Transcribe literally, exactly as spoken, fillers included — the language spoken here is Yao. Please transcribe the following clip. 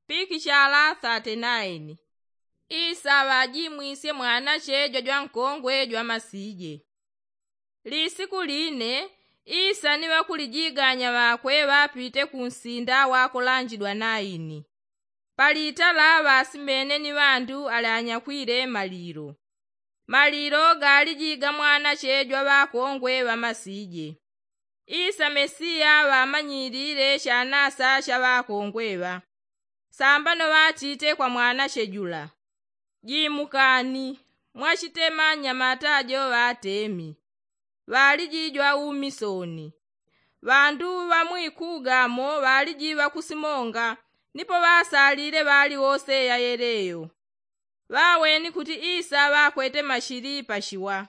Pikishala thate naini. Isa ŵajimwisye mwanache jwajwankongwe jwamasije. Lisiku line isa ni ŵakulijiganya ŵakwe ŵapite kunsinda wakolanjidwa naini. Palitala ŵasimene ni ŵandu ali anyakwile malilo. Malilo galiji ga mwanache jwaŵakongwe ŵamasije. Isa mesiya ŵamanyilile shanasa shaŵakongwe ŵa. Sambano ŵatite kwa mwanache jula, jimukani, mwachitema nyamata jo ŵatemi. Ŵaliji jwaumisoni. Ŵandu ŵa mwikugamo ŵaliji ŵakusimonga, nipo ŵasalile ŵali wose ya yeleyo. Ŵaweni kuti isa ŵakwete mashili pashiwa.